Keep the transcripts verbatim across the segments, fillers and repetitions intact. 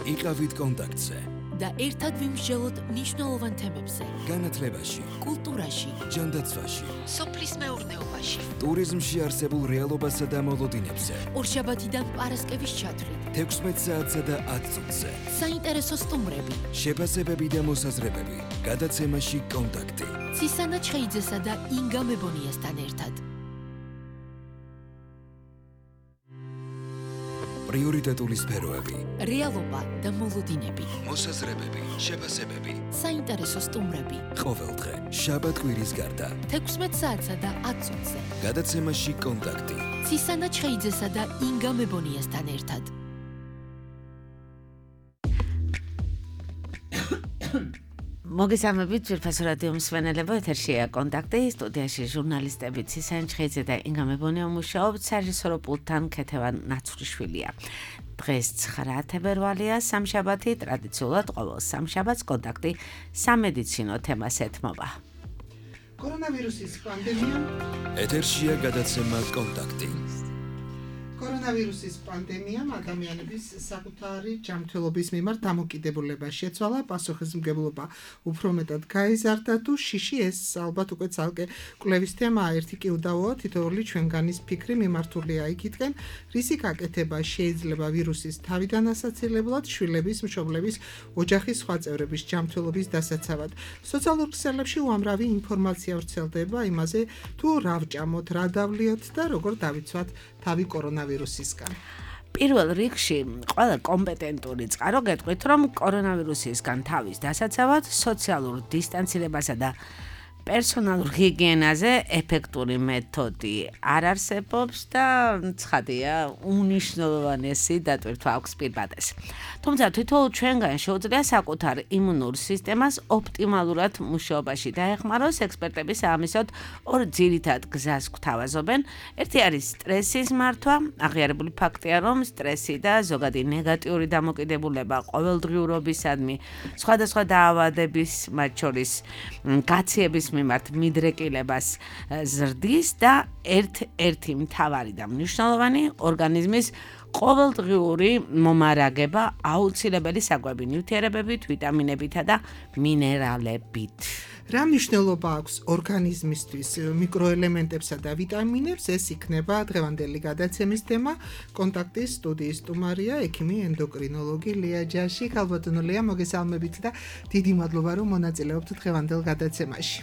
იყავით კონტაქტზე და ერთად ვიმსჯელოთ მნიშვნელოვან თემებზე. განათლებაში, კულტურაში, ჯანდაცვაში, სოფლის მეურნეობაში, ტურიზმში არსებულ რეალობასა და მოლოდინებზე. ორშაბათიდან პარასკევის ჩათვლით. თექვსმეტ საათსა და ათ წუთზე. საინტერესო სტუმრები, შეფასებები და მოსაზრებები. გადაცემაში კონტაქტი. ცისანა ჩხეიძესა და ინგა მებონიასთან ერთად. პრიორიტეტული სფეროები. რეალობა და მოლოდინები. მოსაზრებები, შეფასებები. საინტერესო სტუმრები. ყოველდღე, შაბათ-კვირის გარდა. თექვსმეტ საათსა და ათ წუთზე. გადაცემაში კონტაქტი. ცისანა ჩხეიძესა და ინგა მებონიასთან ერთად. მოგესალმებით ძვირფასო რადიო მსმენელებო, ეთერშია კონტაქტი, სტუდიაში ჟურნალისტები ცისანა ჩხეიძე და ინგა მებონია მუშაობთ, სარეჟისორო პულტთან ქეთევან ნაცვლიშვილია. დღეს ცხრა თებერვალია, სამშაბათი, ტრადიციულად ყოველ სამშაბათს კონტაქტი სამედიცინო თემას ეთმობა. კორონავირუსის პანდემია. ეთერშია გადაცემა კონტაქტი. კორონავირუსის პანდემიამ ადამიანების საკუთარი ჯანმრთელობის მიმართ დამოკიდებულება შეცვალა, პასუხისმგებლობა უფრო მეტად გაიზარდა თუ შიში ეს ალბათ უკვე ცალკე კვლევის თემაა. ერთი კი უდავოა, თითოეული ჩვენგანის ფიქრი მიმართულია იქითკენ, რისი გაკეთება შეიძლება ვირუსის თავიდან ასაცილებლად, შვილების, მშობლების, ოჯახის სხვა წევრების ჯანმრთელობის დასაცავად. სოციალურ ქსელებში უამრავი ინფორმაცია ვრცელდება იმაზე, თუ რა ვჭამოთ, რა დავლიოთ და როგორ დავიცვათ თავი კორონავირუსისგან. პირველ რიგში, ყველა კომპეტენტური წყარო გეტყვით, რომ კორონავირუსისგან თავის დასაცავად სოციალურ დისტანცირებასა და პერსონალურ ჰიგიენაზე ეფექტური მეთოდი არ არსებობს და ცხადია, უნიშნულოვანესი დატვირთვა აქვს პირბადეს. თუმცა თითოეულ ჩვენგან შეუძლია საკუთარ იმუნურ სისტემას ოპტიმალურად მუშაობაში დაეხმაროს. ექსპერტები ამისოდ ორ ძირითად გზას გვთავაზობენ. ერთი არის სტრესის მართვა. აღიარებული ფაქტია, რომ სტრესი და ზოგადი ნეგატიური დამოკიდებულება ყოველდღიურობისადმი სხვადასხვა დაავადების, მათ შორის გაციების მიმართ მიდრეკილებას ზრდის და ერთ-ერთი მთავარი და მნიშვნელოვანი ორგანიზმის ყოველდღიური მომარაგება აუცილებელი საკვები ნივთიერებებით, ვიტამინებითა და მინერალებით. რა მნიშვნელობა აქვს ორგანიზმისთვის მიკროელემენტებსა და ვიტამინებს, ეს იქნება დღევანდელი გადაცემის თემა. კონტაქტის სტუდიის სტუმარია ექიმი ენდოკრინოლოგი ლია ჯაში. ქალბატონო ლია, მოგესალმებით და დიდი მადლობა, რომ მონაწილეობთ დღევანდელ გადაცემაში.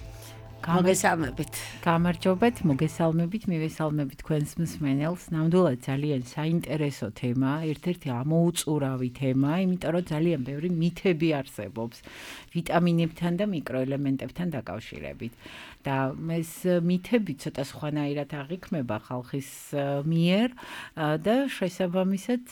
მოგესალმებით. გამარჯობეთ, მოგესალმებით, მივესალმებით თქვენს მსმენელს. ნამდვილად ძალიან საინტერესო თემა, ერთ-ერთი ამოუწურავი თემა, იმიტომ რომ ძალიან ბევრი მითები არსებობს ვიტამინებთან და მიკროელემენტებთან დაკავშირებით. და ეს მითები ცოტა სხვანაირად აღიქმება ხალხის მიერ და შესაბამისად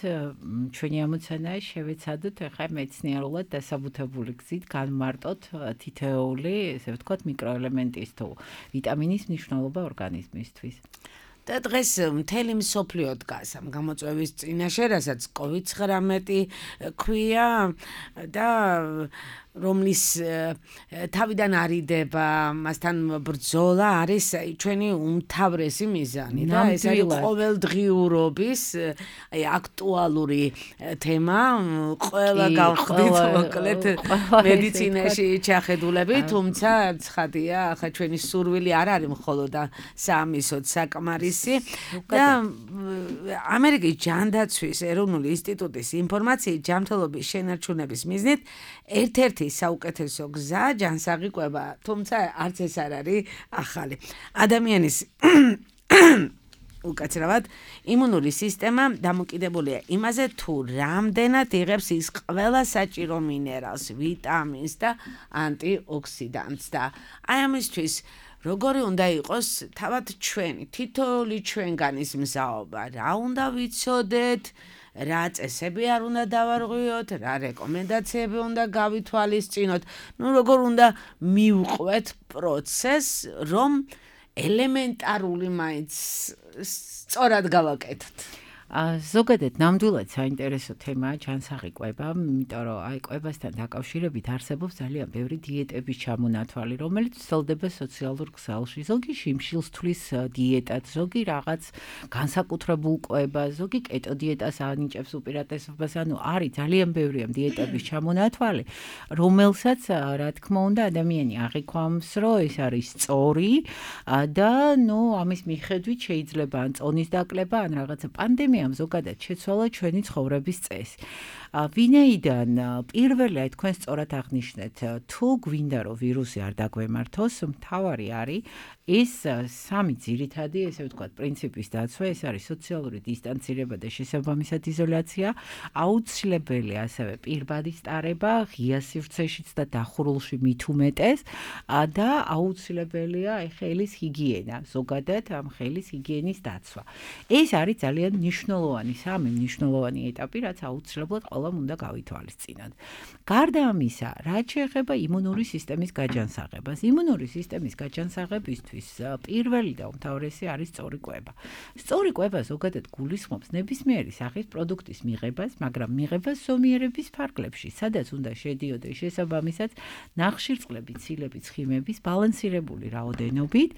ჩვენი ამოცანაა შევეცადოთ ახლა მეცნიერულად დასაბუთებული გზით განმარტოთ თითოეული, ესე ვთქვათ, მიკროელემენტის თუ ვიტამინის მნიშვნელობა ორგანიზმისთვის. და დღეს მთელი მსოფლიო დგას ამ გამოწვევის წინაშე, რასაც კოვიდ ცხრამეტი ქვია და რომლის თავიდან არიდება, მასთან ბრძოლა არის ჩვენი უმთავრესი მიზანი და ეს არის ყოველდღიურობის აი აქტუალური თემა. ყველა გავხდით მოკლედ მედიცინაში ჩახედულები, თუმცა ცხადია, ახლა ჩვენი სურვილი არ არის მხოლოდ საამისოდ საკმარისი და ამერიკის ჯანდაცვის ეროვნული ინსტიტუტის ინფორმაციით ჯანმრთელობის შენარჩუნების მიზნით ერთ-ერთი საუკეთესო გზა ჯანსაღი კვება, თუმცა არც ეს არ არის ახალი. ადამიანის უკაცრავად იმუნური სისტემა დამოკიდებულია იმაზე, თუ რამდენად იღებს ის ყველა საჭირო მინერალს, ვიტამინს და ანტიოქსიდანტს და აი ამისთვის როგორი უნდა იყოს თავად ჩვენი, თითოეული ჩვენგანის მზაობა, რა უნდა ვიცოდეთ, რა წესები არ უნდა დავარღვიოთ, რა რეკომენდაციები უნდა გავითვალისწინოთ, ну როგორ უნდა მივყვეთ პროცესს, რომ ელემენტარული მაინც სწორად გავაკეთოთ. ზოგადად ნამდვილად საინტერესო თემაა ჯანსაღი კვება, იმიტომ რომ აი კვებასთან დაკავშირებით არსებობს ძალიან ბევრი დიეტების ჩამონათვალი, რომელიც ვრცელდება სოციალურ ქსელში. ზოგი შიმშილს თვლის დიეტად, ზოგი რაღაც განსაკუთრებულ კვებას, ზოგი კეტო დიეტას ანიჭებს უპირატესობას, ანუ არის ძალიან ბევრია დიეტების ჩამონათვალი, რომელსაც რა თქმა უნდა ადამიანი აღიქვამს, რომ ეს არის სწორი და ნუ ამის მიხედვით შეიძლება ან წონის დაკლება, ან რაღაცა პანდემიამ ზოგადად შეცვალა ჩვენი ცხოვრების წესი. ვინაიდან პირველი აი თქვენ სწორად აღნიშნეთ, თუ გვინდა რომ ვირუსი არ დაგვემართოს, მთავარი არის ეს სამი ძირითადი, ესე ვთქვათ, პრინციპის დაცვა, ეს არის სოციალური დისტანცირება და შესაბამისად იზოლაცია, აუცილებელი ასევე პირბადის ტარება, ღია სივრცეშიც და დახურულში მით უმეტეს და აუცილებელია აი ხელის ჰიგიენა, ზოგადად ამ ხელის ჰიგიენის დაცვა. ეს არის ძალიან მნიშვნელოვანი, სამი მნიშვნელოვანი ეტაპი, რაც აუცილებლად ყველამ უნდა გავითვალისწინოთ. გარდა ამისა, რაც შეეხება იმუნური სისტემის გაჯანსაღებას, იმუნური სისტემის გაჯანსაღებისთვის პირველი და უმთავრესი არის სწორი კვება. სწორი კვება ზოგადად გულისხმობს ნებისმიერი სახის პროდუქტის მიღებას, მაგრამ მიღებას ზომიერების ფარგლებში, სადაც უნდა შედიოდეს შესაბამისად ნახშირწყლები, ცილები, ცხიმების ბალანსირებული რაოდენობით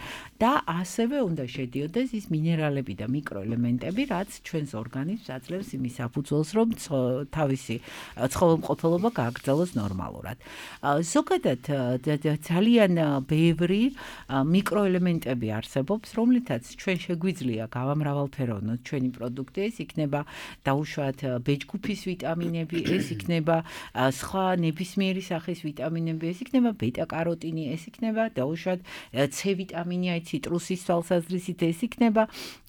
და ასევე უნდა შედიოდეს ის მინერალები და მიკროელემენტები, რაც ჩვენს ორგანიზმს აძლევს იმის საფუძველს, რომ თავისი ცხოველმყოფელობა გააგრძელოს ნორმალურად. ზოგადად ძალიან ბევრი მიკროელემენტები არსებობს, რომლითაც ჩვენ შეგვიძლია გავამრავალფეროვნოთ ჩვენი პროდუქტი, ეს იქნება დაუშვათ ბეჭდგუფის ვიტამინები, ეს იქნება სხვა ნებისმიერი სახის ვიტამინები, ეს იქნება ბეტა-კაროტინი, ეს იქნება დაუშვათ C ვიტამინი, აი ციტრუსის თვალსაზრისით, ეს იქნება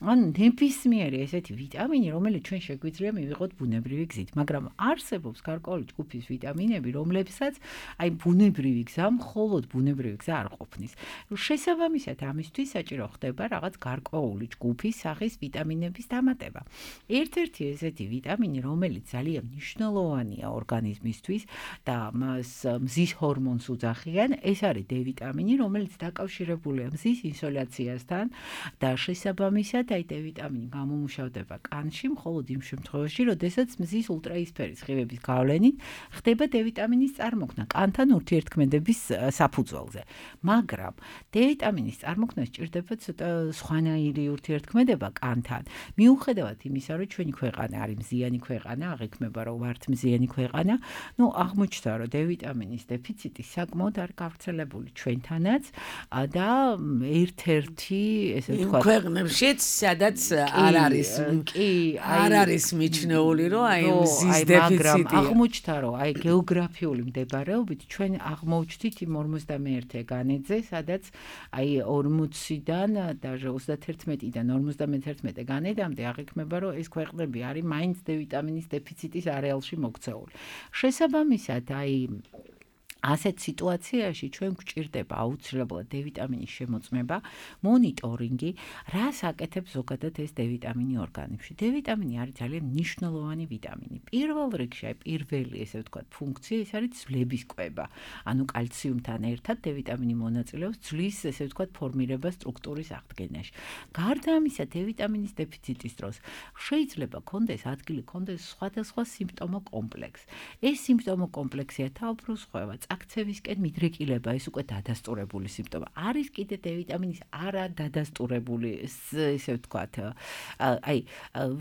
ან ნებისმიერი ესეთი ვიტამინი, რომელიც ჩვენ შეგვიძლია მივიღოთ ბუნებრივი გზით, მაგრამ არსებობს გარკვეული ჯგუფის ვიტამინები, რომლებსაც აი ბუნებრივი გზა, მხოლოდ ბუნებრივი გზა არ ყოფნის. შესაბამისად ამისთვის საჭირო ხდება რაღაც გარკვეული ჯგუფის სახის ვიტამინების დამატება. ერთ-ერთი ესეთი ვიტამინი, რომელიც ძალიან მნიშვნელოვანია ორგანიზმისთვის და მას მზის ჰორმონს უძახიან, ეს არის D ვიტამინი, რომელიც დაკავშირებულია მზის ინსოლაციასთან და შესაბამისად აი D ვიტამინი გამომუშავდება კანში, მხოლოდ იმ შემთხვევაში, როდესაც მზის ულტრაისფერი სხივების გავლენით ხდება D ვიტამინის წარმოქმნა კანთან ურთიერთქმედების საფუძველზე. მაგრამ D ვიტამინის წარმოქმნა სჭირდება ცოტა სხვანაირი ურთიერთქმედება კანთან. მიუხედავად იმისა, რომ ჩვენი ქვეყანა არის მზიანი ქვეყანა, აღიქმება რომ ვართ მზიანი ქვეყანა, ნუ აღმოჩნდა, რომ D ვიტამინის დეფიციტი საკმაოდ არ გავრცელებული ჩვენთანაც და ერთ-ერთი, ესე ვთქვათ, ქვეყნებშიც, სადაც არ არის კი, არ არის მიჩნეული, რომ აი მზის დეფიციტია. აღმოჩნდა, რომ აი გეოგრაფიული მდებარეობით ჩვენ აღმოჩნდით იმ ორმოცდამეერთე განედზე, სადაც აი ორმოციდან და ოცდათერთმეტიდან ორმოცდამეთერთმეტე განედამდე აღიქმება, რომ ეს ქვეყნები არის მაინც D ვიტამინის დეფიციტის არეალში მოქცეული. შესაბამისად, აი ასეთ სიტუაციაში ჩვენ გვჭირდება აუცილებლად D ვიტამინის შემოწმება, მონიტორინგი, რას აკეთებს ზოგადად ეს D ვიტამინი ორგანიზმში. D ვიტამინი არის ძალიან მნიშვნელოვანი ვიტამინი. პირველ რიგში, აი პირველი, ესე ვთქვათ, ფუნქცია ეს არის ძვლების კვება. ანუ კალციუმთან ერთად D ვიტამინი მონაწილეობს ძვლის, ესე ვთქვათ, ფორმირებას სტრუქტურის აღდგენაში. გარდა ამისა, D ვიტამინის დეფიციტის დროს შეიძლება კონდეს ადგილი, კონდეს სხვადასხვა სიმპტომო კომპლექსი. ეს სიმპტომო კომპლექსია თავბრუსხვევა, აქცევისკენ მიდრეკილება, ეს უკვე დადასტურებული სიმპტომა. არის კიდე D ვიტამინის არადადასტურებული, ესე ვთქვათ, აი,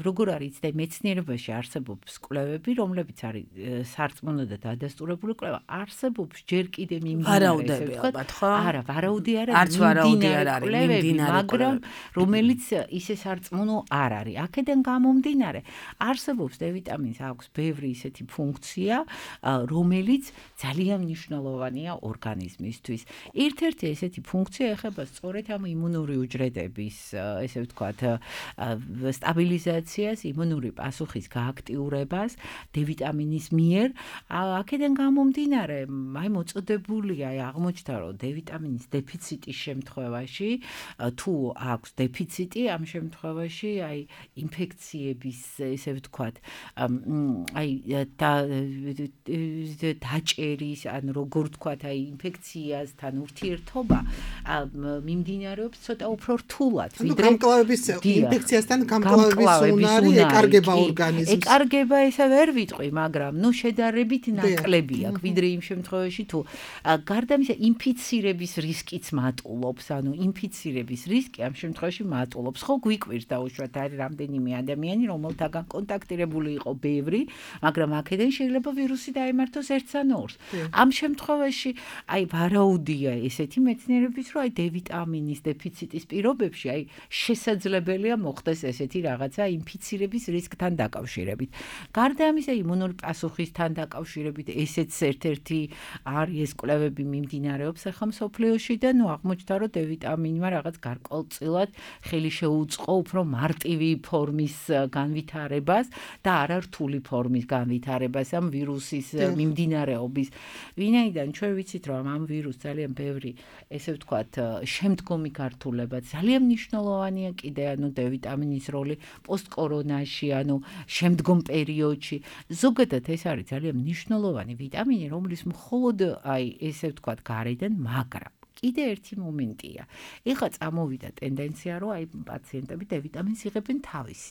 როგორ არის და მეცნიერებაში არსებობს კვლევები, რომლებიც არის სარწმუნო და დადასტურებული კვლევა, არსებობს ჯერ კიდე მიმდინარე, ესე ვთქვათ, არა, ვარაუდი არ არის, მიმდინარე, მაგრამ რომელიც ისე სარწმუნო არ არის. აქედან გამომდინარე, არსებობს D ვიტამინს აქვს ბევრი ისეთი ფუნქცია, რომელიც ძალიან მნიშვნელოვანია ორგანიზმისთვის. ერთ-ერთი ესეთი ფუნქცია ეხება სწორედ ამ იმუნური უჯრედების, ესე ვთქვათ, სტაბილიზაციას, იმუნური პასუხის გააქტიურებას D ვიტამინის მიერ. აქედან გამომდინარე, აი მოწოდებულია, აი აღმოჩნდა, რომ D ვიტამინის დეფიციტის შემთხვევაში, თუ აქვს დეფიციტი, ამ შემთხვევაში აი ინფექციების, ესე ვთქვათ, აი დაჭერის, ანუ ანუ როგორ ვთქვათ, აი ინფექციასთან ურთიერთობა მიმდინარეობს ცოტა უფრო რთულად, ვიდრე გამკლავების ინფექციასთან გამკლავების უნარი ეკარგება ორგანიზმს. ეკარგება ესა ვერ ვიტყვი, მაგრამ ნუ შედარებით ნაკლები აქვს, ვიდრე იმ შემთხვევაში თუ გარდა ამისა ინფიცირების რისკიც მატულობს, ანუ ინფიცირების რისკი ამ შემთხვევაში მატულობს. ხო გვიკვირს დაუშვათ არის რამდენიმე ადამიანი, რომელთაგან კონტაქტირებული იყო ბევრი, მაგრამ აქედან შეიძლება ვირუსი დაემართოს ერთს ან ორს. ამ შემთხვევაში აი ვარაუდია ესეთი მეცნიერების, რომ აი D ვიტამინის დეფიციტის პირობებში აი შესაძლებელია მოხდეს ესეთი რაღაცა ინფიცირების რისკთან დაკავშირებით. გარდა ამისა იმუნური პასუხისთან დაკავშირებით ესეც ერთ-ერთი არის ეს კვლევები მიმდინარეობს ახლა მსოფლიოში და ნუ აღმოჩნდა რომ D ვიტამინმა რაღაც გარკვეულწილად ხელი შეუწყო უფრო მარტივი ფორმის განვითარებას და არა რთული ფორმის განვითარებას ამ ვირუსის მიმდინარეობის. ვინაიდან ჩვენ ვიცით რომ ამ ვირუსს ძალიან ბევრი ესე ვთქვათ შემდგომი გართულება ძალიან მნიშვნელოვანია კიდე ანუ D ვიტამინის როლი პოსტკორონაში ანუ შემდგომ პერიოდში. ზოგადად ეს არის ძალიან მნიშვნელოვანი ვიტამინი, რომლის მხოლოდ აი ესე ვთქვათ გარედან, მაგრამ კიდე ერთი მომენტია. ეხლა წამოვიდა ტენდენცია, რომ აი პაციენტები D ვიტამინს იღებენ თავისი.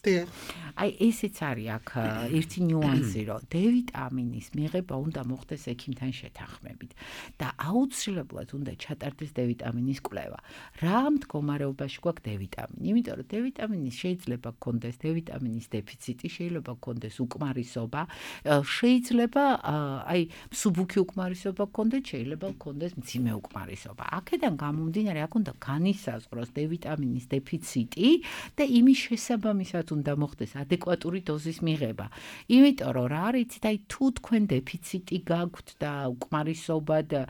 აი ესეც არის აქ ერთი ნიუანსი, რომ D ვიტამინის მიღება უნდა მოხდეს ექიმთან შეთანხმებით და აუცილებლად უნდა ჩატარდეს D ვიტამინის კვლევა. რა მდგომარეობაში გვაქვს D ვიტამინი? იმიტომ რომ D ვიტამინის შეიძლება გქონდეს D ვიტამინის დეფიციტი, შეიძლება გქონდეს უკმარისობა, შეიძლება აი მსუბუქი უკმარისობა გქონდეს, შეიძლება გქონდეს მძიმე უკმარისობა. აქედან გამომდინარე, აქ უნდა განისაზღვროს D ვიტამინის დეფიციტი და იმის შესაბამისად უნდა მოხდეს ადეკვატური დოზის მიღება. იმიტომ რომ რა არის, იცით, აი თუ თქვენ დეფიციტი გაქვთ და უკმარისობა და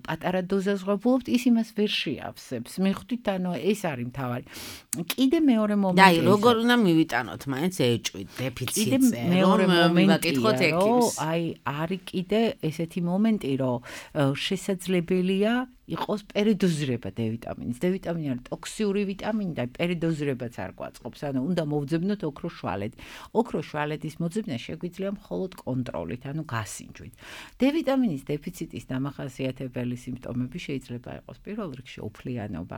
პატარა დოზას ღვებულობთ, ის იმას ვერ შეავსებს. მიხვდით, ანუ ეს არის მთავარი. კიდე მეორე მომენტი. და აი როგორ უნდა მივიტანოთ, მაინც ეჭვით დეფიციტზე. მეორე მომენტია, რომ აი არის კიდე ესეთი მომენტი, რომ შესაძლებელია იყოს პერიდოზირება D ვიტამინის. D ვიტამინი არის ტოქსიური ვიტამინი და პერიდოზირებაც არ გვაწყობს. ანუ უნდა მოვძებნოთ ოქროს შვალეთი. ოქროს შვალეთის მოძებნა შეგვიძლია მხოლოდ კონტროლით, ანუ გასინჯვით. D ვიტამინის დეფიციტის დამახასიათებელი სიმპტომები შეიძლება იყოს პირველ რიგში უფლიანობა.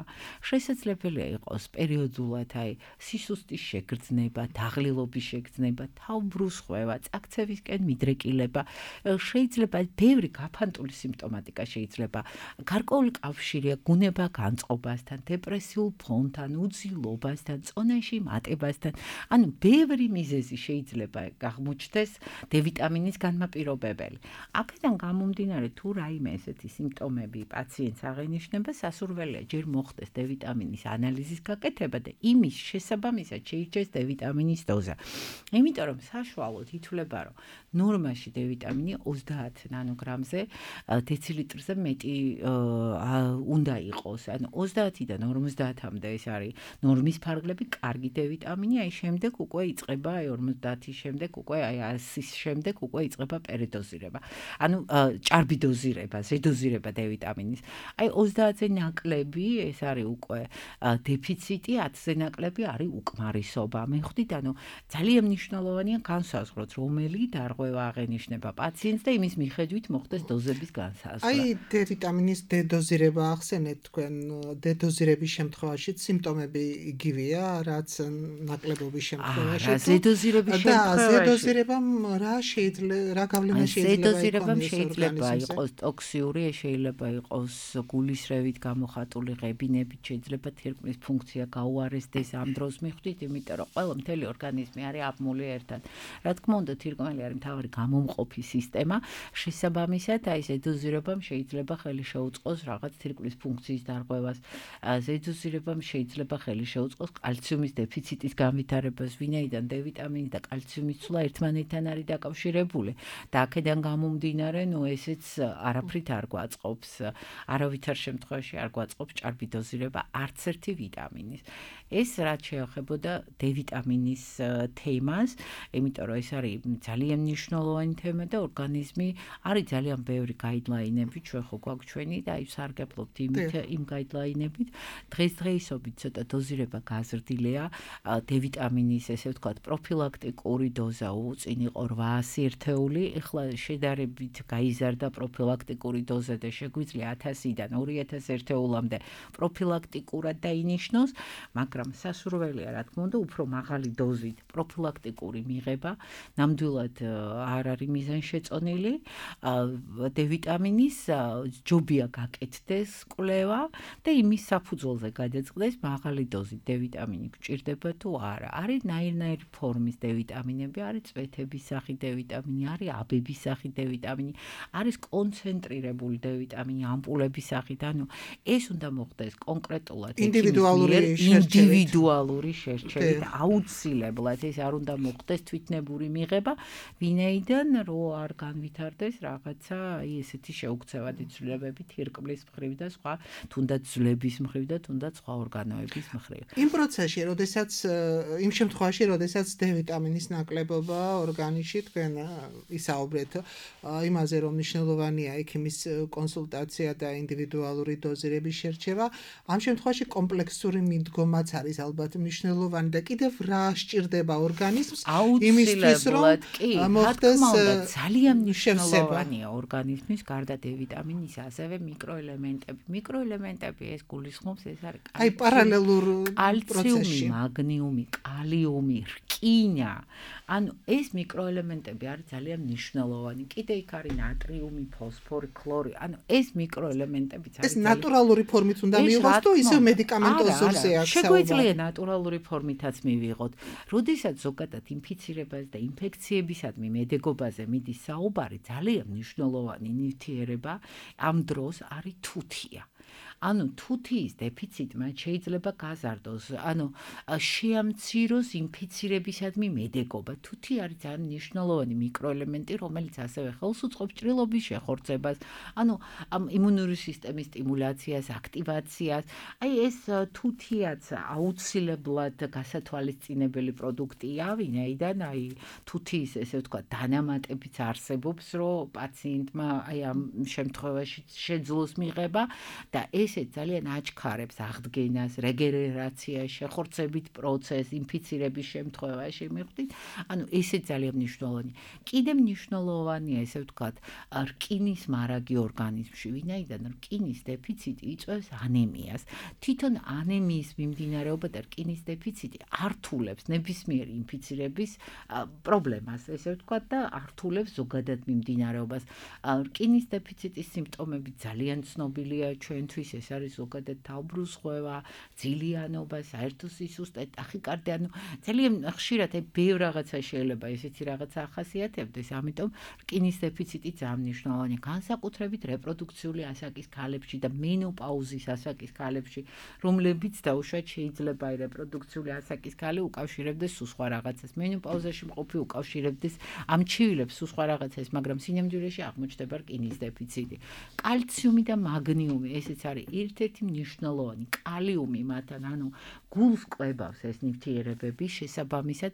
შესაძლებელია იყოს პერიოდულად აი სისუსტის შეგრძნება, დაღლილობის შეგრძნება, თავბრუსხვევა, წაქცევისკენ მიდრეკილება. შეიძლება ბევრი გაფანტული სიმპტომატიკა შეიძლება გარკვეული კავშირია გუნება განწყობასთან, დეპრესიულ ფონთან, უძილობასთან, წონაში მატებასთან. ანუ ბევრი მიზეზი შეიძლება აღმოჩნდეს D ვიტამინის განმაპირობებელი. აქედან გამომდინარე თუ რაიმე ესეთი სიმპტომები პაციენტს აღენიშნება, სასურველია ჯერ მოხდეს D ვიტამინის ანალიზის გაკეთება და იმის შესაბამისად შეირჩეს D ვიტამინის დოზა. იმიტომ რომ საშუალოდ ითვლება, რომ ნორმაში D ვიტამინი ოცდაათ ნანოგრამზე დეცილიტრზე მეტი უნდა იყოს. ანუ ოცდაათიდან ორმოცდაათამდე ეს არის ნორმის ფარგლები, კარგი D ვიტამინი, აი შემდეგ უკვე იწყება აი ორმოცდაათის შემდეგ უკვე აი ასის შემდეგ უკვე იწყება პერიდოზირება. ანუ ჭარბი დოზირება, ზედოზირება D ვიტამინის. აი ოცდაათზე ნაკლები ეს არის უკვე დეფიციტი, ათზე ნაკლები არის უკმარისობა. მიხვდით, ანუ ძალიან მნიშვნელოვანია განსაზღვროთ, რომელი დარღვევა აღენიშნება პაციენტს და იმის მიხედვით მოხდეს დოზების განსაზღვრა. აი D ვიტამინის D დოზირება ახსენეთ თქვენ, D დოზირების შემთხვევაში სიმპტომები იგივეა, რაც ნაკლებობის შემთხვევაში. რა ზედოზირების შემთხვევაში? და ზედოზირებამ რა შეიძლება, რა გავლენა შეიძლება იყოს? ზედოზირებამ შეიძლება იყოს ტოქსიური, შეიძლება იყოს გულისრევით გამოხატული ღებინებით, შეიძლება თირკმლის ფუნქცია გაუარესდეს ამ დროს. მიხვდით, იმიტომ რომ ყველა მთელი ორგანიზმი არის აბმული ერთად. რა თქმა უნდა, თირკმელი არის მთავარი გამომყოფი სისტემა, შესაბამისად აი ზედოზირებამ შეიძლება ხელი შეუწყოს რაღაც თირკმლის ფუნქციის დარღვევას. ზედოზირებამ შეიძლება ხელი შეუწყოს კალციუმის დეფიციტის განვითარებას, ვინაიდან D ვიტამინი და კალციუმის ცვლა ერთმანეთთან არის დაკავშირებული და აქედან გამომდინარე, ნუ ესეც არაფრით არ გვაწყობს, არავითარ შემთხვევაში არ გვაწყობს ჭარბი დოზირება არც ერთი ვიტამინის. ეს რაც შეეხებოდა D ვიტამინის თემას, იმიტომ რომ ეს არის ძალიან მნიშვნელოვანი თემა და ორგანიზმი არის ძალიან ბევრი გაიდლაინები, ჩვენ ხო გვაქვს ჩვენი და აი სარგებლობთ იმით იმ გაიდლაინებით. დღესდღეობით ცოტა დოზირება გაზრდილია D ვიტამინის, ესე ვთქვათ, პროფილაქტიკური დოზა უწინ იყო რვაასი ერთეული, ეხლა შედარებით გაიზარდა პროფილაქტიკური დოზა და შეგვიძლია ათასიდან ორი ათას ერთეულამდე პროფილაქტიკურად დაინიშნოს, მაგრამ სასურველია, რა თქმა უნდა, უფრო მაღალი დოზით პროფილაქტიკური მიღება, ნამდვილად არ არის მიზანშეწონილი. D ვიტამინის ჯობია გაკეთდეს კვლევა და იმის საფუძველზე გადაწყდეს მაღალი დოზით D ვიტამინი გჭირდება თუ არა. არის ნაირ-ნაირი ფორმის D ვიტამინები, არის წვეთების სახით D ვიტამინი, არის აბების სახით D ვიტამინი, არის კონცენტრირებული D ვიტამინი ამპულების სახით. ანუ ეს უნდა მოხდეს კონკრეტულად ინდივიდუალური ინდივიდუალური შერჩევით, აუცილებლად ეს არ უნდა მოხდეს თვითნებური მიღება, ვინაიდან რო არ განვითარდეს რაღაცა აი ესეთი შეუქცევადი ცვლილებები თირკმლის მხრივ და სხვა, თუნდაც ძვლების მხრივ და თუნდაც სხვა ორგანოების მხრივ. იმ პროცესში, როდესაც იმ შემთხვევაში, როდესაც D ვიტამინის ნაკლებობა ორგანიზმში თქვენ ისაუბრეთ იმაზე, რომ მნიშვნელოვანია ექიმის კონსულტაცია და ინდივიდუალური დოზირების შერჩევა, ამ შემთხვევაში კომპლექსური მიდგომაც არის ალბათ მნიშვნელოვანი და კიდევ რა სჭირდება ორგანიზმს იმისთვის, რომ მოხდეს ძალიან მნიშვნელოვანია ორგანიზმის გარდა D ვიტამინის ასევე მიკროელემენტები. მიკროელემენტები ეს გულისხმობს, ეს არის აი პარალელურ კალციუმი, მაგნიუმი, კალიუმი, რკინა. ანუ ეს მიკროელემენტები არის ძალიან მნიშვნელოვანი. კიდე იქ არის ნატრიუმი, ფოსფორი, ქლორი. ანუ ეს მიკროელემენტებიც არის. ეს ნატურალური ფორმით უნდა მივიღოს თუ ისევ მედიკამენტოზურზე აქვს საუბარი? შეგვიძლია ნატურალური ფორმითაც მივიღოთ. როდესაც ზოგადად ინფიცირებას და ინფექციებისადმი მედეგობაზე მიდის საუბარი, ძალიან მნიშვნელოვანი ნივთიერება ამ დროს არის თუთია. ანუ თუთიის დეფიციტმა შეიძლება გაზარდოს, ანუ შეამციროს ინფიცირებისადმი მედეგობა. თუთი არის ძალიან მნიშვნელოვანი მიკროელემენტი, რომელიც ასევე ხელს უწყობს ჭრილობის შეხორცებას, ანუ ამ იმუნური სისტემის სტიმულაციას, აქტივაციას. აი ეს თუთიაც აუცილებლად გასათვალისწინებელი პროდუქტია, ვინაიდან აი თუთიის ესე ვთქვათ დანამატებიც არსებობს, რომ პაციენტმა აი ამ შემთხვევაში შეძლოს მიღება და ესე ძალიან აჩქარებს აღდგენას, რეგენერაციას, შეხორცებით პროცესს, ინფიცირების შემთხვევაში მივხვდით. ანუ ესე ძალიან მნიშვნელოვანი. კიდე მნიშვნელოვანია, ესე ვთქვათ, რკინის მარაგი ორგანიზმში, ვინაიდან რკინის დეფიციტი იწვევს ანემიას. თვითონ ანემიის მიმდინარეობა და რკინის დეფიციტი ართულებს ნებისმიერი ინფიცირების პრობლემას, ესე ვთქვათ, და ართულებს ზოგადად მიმდინარეობას. რკინის დეფიციტის სიმპტომები ძალიან ცნობილია ჩვენთვის, ეს არის ზოგადად თავბრუსხვევა, ძილიანობა, საერთო სისუსტე, ტახიკარდია, ანუ ძალიან ხშირად აი ბევრ რაღაცა შეიძლება ესეთი რაღაცა ახასიათებდეს, ამიტომ რკინის დეფიციტი ძალიან მნიშვნელოვანია, განსაკუთრებით რეპროდუქციული ასაკის ქალებში და მენოპაუზის ასაკის ქალებში, რომლებიც დაუშვათ შეიძლება აი რეპროდუქციული ასაკის ქალი უკავშირებდეს სულ სხვა რაღაცას, მენოპაუზაში მყოფი უკავშირებდეს ამ ჩივილებს სულ სხვა რაღაცას, მაგრამ სინამდვილეში აღმოჩნდება რკინის დეფიციტი. კალციუმი და მაგნიუმი, ესეც არის ერთ-ერთი მნიშვნელოვანი. კალიუმი მათთან, ანუ გულს კვებავს ეს ნივთიერებები, შესაბამისად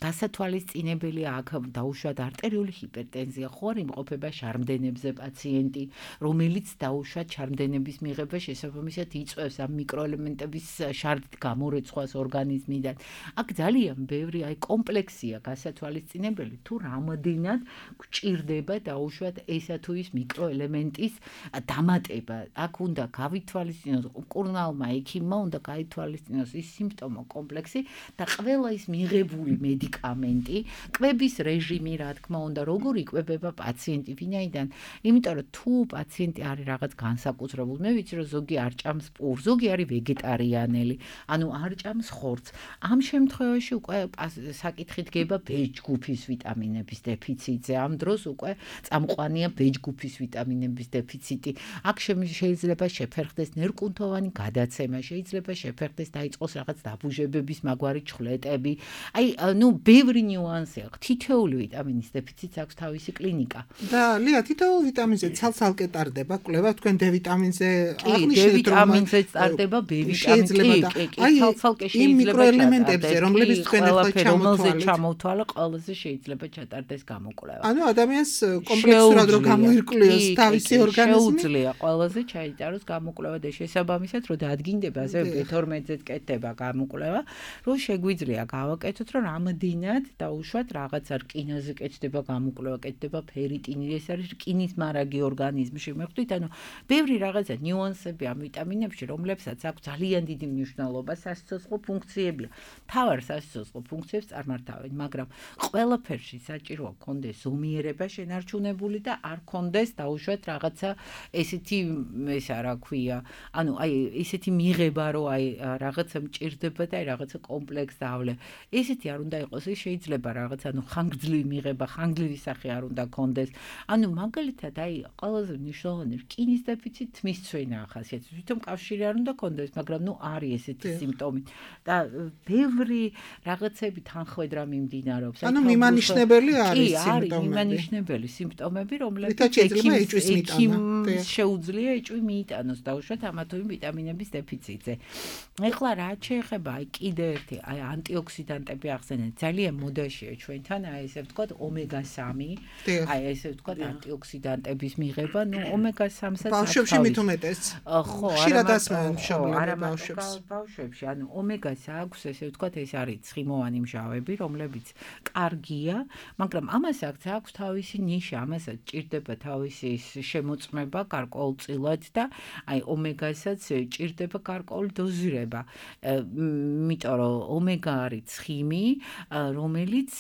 გასათვალისწინებელია აქ დაუშვათ არტერიული ჰიპერტენზია, ხო არ იმყოფება შარმდენებზე პაციენტი, რომელიც დაუშვათ შარმდენების მიღება შესაბამისად იწვევს ამ მიკროელემენტების შარდით გამორეცხვას ორგანიზმიდან. აქ ძალიან ბევრი აი კომპლექსია გასათვალისწინებელი, თუ რამდენად გჭირდება დაუშვათ ესა თუ ის მიკროელემენტის დამატება. აქ უნდა გავითვალისწინოს მკურნალმა ექიმმა, უნდა გაითვალისწინოს ის სიმპტომო კომპლექსი და ყველა ის მიღებული მედიკამენტი, კვების რეჟიმი, რა თქმა უნდა, როგორ იკვებება პაციენტი, ვინაიდან, იმიტომ რომ თუ პაციენტი არის რაღაც განსაკუთრებული, მე ვიცი რომ ზოგი არ ჭამს პურს, ზოგი არის ვეგეტარიანელი, ანუ არ ჭამს ხორცს. ამ შემთხვევაში უკვე საკითხი დგება B ჯგუფის ვიტამინების დეფიციტზე. ამ დროს უკვე წამყვანია B ჯგუფის ვიტამინების დეფიციტი. აქ შეიძლება შეფერხდეს ნერვკუნთოვანი გადაცემა, შეიძლება შეფერხდეს დაიწყოს რაღაც დაბუჟებების მაგვარი ჩხლეტები. აი, ნუ ბევრი ნიუანსი აქვს. თითოეული ვიტამინის დეფიციტს აქვს თავისი კლინიკა. და ლია, თითოეულ ვიტამინზე ცალ-ცალკე ტარდება კვლევა, თქვენ D ვიტამინზე აღნიშნეთ, რომ ვიტამინზე ტარდება B ვიტამინი. კი, კი, ცალ-ცალკე შეიძლება იმ მიკროელემენტებზე, რომლებიც თქვენ ახლა ჩამოთვალეთ, ჩამოთვალა, ყველაზე შეიძლება ჩატარდეს გამოკვლევა. ანუ ადამიანს კომპლექსურად რო გამოირკვლიოს თავისი ორგანიზმი, შეუძლია ყველაზე ჩაიტაროს გამოკვლევა და შესაბამისად რო დადგინდება ასე B თორმეტზე კეთდება გამოკვლევა, რომ შეგვიძლია გავაკეთოთ, რომ რამდენად დაუშვათ რაღაცა რკინაზე კეთდება გამოკვლევა, კეთდება ფერიტინი, ეს არის რკინის მარაგი ორგანიზმში. მეხვდით, ანუ ბევრი რაღაცა ნიუანსები ამ ვიტამინებში, რომლებსაც აქვს ძალიან დიდი მნიშვნელობა სასიცოცხლო ფუნქციებია. თავარ სასიცოცხლო ფუნქციებს წარმართავენ, მაგრამ ყველაფერში საჭიროა კონდეს ზომიერება შენარჩუნებული და არ კონდეს დაუშვათ რაღაცა ესეთი ესა რა ქვია, ანუ აი ესეთი მიღება, რომ აი რაღაცა მჭირდება და აი რაღაცა კომპლექს დავლე. ესეთი არ უნდა იყოს, ის შეიძლება რაღაცა ანუ ხანგრძლივი მიღება, ხანგრძლივი სახე არ უნდა კონდეს. ანუ მაგალითად აი ყველაზე მნიშვნელოვანი რკინის დეფიციტი თმისცვენა ახასიათებს. თვითონ კავშირი არ უნდა კონდეს, მაგრამ ნუ არის ესეთი სიმპტომი და ბევრი რაღაცები თანხმედრა მიმდინარეობს. ანუ მიმანიშნებელი არის სიმპტომები. კი, არის მიმანიშნებელი სიმპტომები, რომლებიც ექიმს შეუძლია ეჭვი მიიტანოს დაუშვათ ამა თუ იმ ვიტამინების დეფიციტზე. ეხლა რა შეეხება აი კიდე ერთი აი ანტიოქსიდანტები ახსენეთ. ძალიან მოდაშია ჩვენთან აი ესე ვთქვათ ომეგა სამი, აი ესე ვთქვათ ანტიოქსიდანტების მიღება, ნუ ომეგა სამსაც ბავშვებში მით უმეტეს. ხო, ხშირად ასმევენ მშობლები ბავშვებს. ბავშვებში, ანუ ომეგას აქვს ესე ვთქვათ, ეს არის ცხიმოვანი მჟავები, რომლებიც კარგია, მაგრამ ამას აქვს აქვს თავისი ნიშა, ამასაც ჭირდება თავისი შემოწმება გარკვეულწილად და აი ომეგასაც ჭირდება გარკვეული დოზირება. იმიტომ რომ ომეგა არის ცხიმი, რომელიც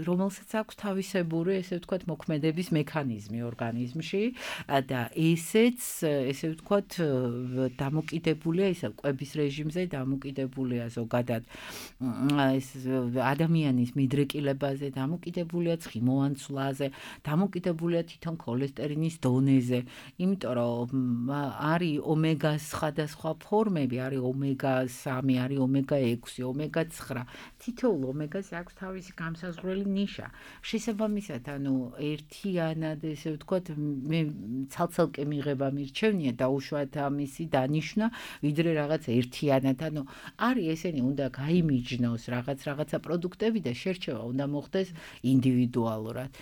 რომელსაც აქვს თავისებური ესე ვთქვათ მოქმედების მექანიზმი ორგანიზმში და ესეც ესე ვთქვათ დამოკიდებულია ისა კვების რეჟიმზე დამოკიდებულია ზოგადად ეს ადამიანის მიდრეკილებაზე, დამოკიდებულია ცხიმოვან ცვლაზე, დამოკიდებულია თვითონ ქოლესტერინის დონეზე. იმიტომ რომ არის ომეგას სხვადასხვა ფორმები, არის ომეგა სამი, არის ომეგა ექვსი, ომეგა ცხრა. თითოეულ ომეგას აქვს თავისი გამსაზღვრელი ნიშა. შესაბამისად, ანუ ერთიანად ესე ვთქვათ, მე ცალ-ცალკე მიღება მირჩევნია დაუშვათ ამისი დანიშნა, ვიდრე რაღაც ერთიანად. ანუ არის ესენი უნდა გაიმიჯნოს რაღაც რაღაცა პროდუქტები და შერჩევა უნდა მოხდეს ინდივიდუალურად.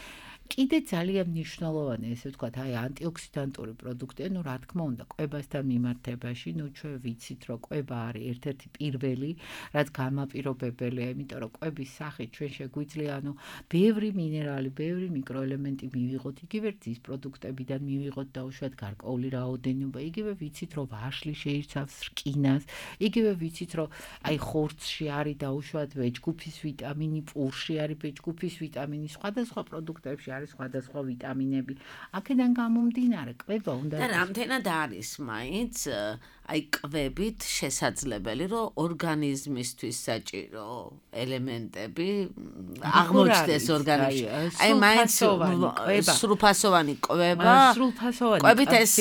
კიდე ძალიან მნიშვნელოვანი ესე ვთქვათ, აი ანტიოქსიდანტური პროდუქტი, ну, რა თქმა უნდა, კვებასთან მიმართებაში, ну, ჩვენ ვიცით, რომ კვება არის ერთ-ერთი პირველი, რაც გამაპირობებელია, იმიტომ რომ კვების სახით ჩვენ შეგვიძლია, ანუ, ბევრი მინერალი, ბევრი მიკროელემენტი მივიღოთ, იგივე რძის პროდუქტებიდან მივიღოთ დაუშვათ გარკვეული რაოდენობა, იგივე ვიცით, რომ ვაშლი შეიცავს რკინას, იგივე ვიცით, რომ აი ხორცში არის დაუშვათ ბეჭდგუფის ვიტამინი, პურში არის ბეჭდგუფის ვიტამინი, სხვადასხვა პროდუქტებში არის სხვადასხვა ვიტამინები. აქედან გამომდინარე, კვება უნდა და რამდენად არის მაინც აი კვებით შესაძლებელი, რომ ორგანიზმისთვის საჭირო ელემენტები აღმოჩნდეს ორგანიზმში. აი მაინც სრულფასოვანი კვება, კვებით ეს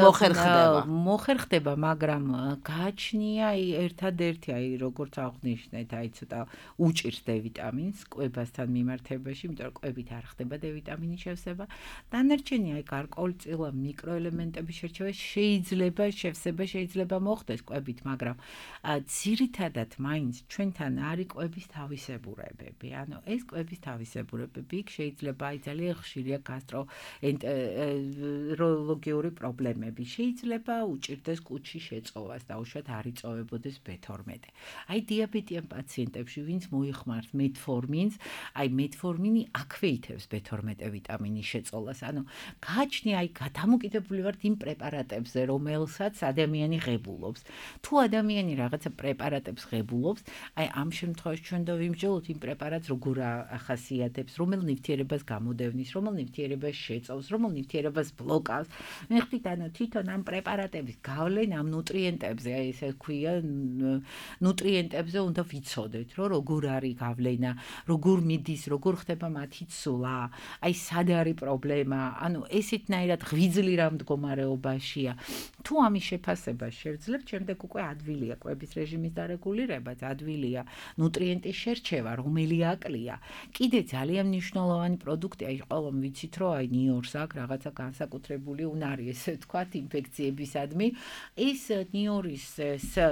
მოხერხდება. მოხერხდება, მაგრამ გააჩნია აი ერთადერთი აი როგორც აღნიშნეთ, აი ცოტა უჭირს D ვიტამინს კვებასთან მიმართებაში, იმიტომ რომ კვებით არ ხდება D ვიტამინის შევსება. დანარჩენი აი გარკვეულწილა მიკროელემენტების შერჩევა შეიძლება შევსება შეიძლება მოხდეს კვებით, მაგრამ ძირითადად მაინც ჩვენთან არის კვების თავისებურებები. ანუ ეს კვების თავისებურებები იქ შეიძლება აი ძალიან ხშირია გასტროენტეროლოგიური პრობლემები. შეიძლება უჭირდეს კუჩის შეწოვას, დაუშვათ არ იწოვებოდეს B თორმეტი. აი დიაბეტიან პაციენტებში, ვინც მოიხმართ მეტფორმინს, აი მეტფორმინი აქვეითებს B თორმეტი ვიტამინის შეწოლას. ანუ გააჩნია აი გადამოკიდებული ვართ იმ პრეპარატებზე, რომელსაც ადამიანი ღებულობს. თუ ადამიანი რაღაცა პრეპარატებს ღებულობს, აი ამ შემთხვევაში ჩვენ და ვიმსჯელოთ იმ პრეპარატს როგორ ახასიათებს, რომელ ნივთიერებას გამოდევნის, რომელ ნივთიერებას შეწოვს, რომელ ნივთიერებას ბლოკავს. მე ხდით, ანუ თვითონ ამ პრეპარატების გავლენა ამ ნუტრიენტებზე, აი ესე ქვია, ნუტრიენტებზე უნდა ვიცოდეთ, რომ როგორ არის გავლენა, როგორ მიდის, როგორ ხდება მათი ცვლა. აი სად არის პრობლემა, ანუ ესეთნაირად ღვიძლი რა მდგომარეობაშია. თუ ამის შეფასება შევძლებთ, შემდეგ უკვე ადვილია კვების რეჟიმის დარეგულირება, ადვილია ნუტრიენტის შერჩევა, რომელი აკლია. კიდე ძალიან მნიშვნელოვანი პროდუქტი, აი ყველამ ვიცით, რომ აი ნიორს აქვს რაღაცა განსაკუთრებული უნარი, ესე ვთქვათ, ინფექციებისადმი. ეს ნიორის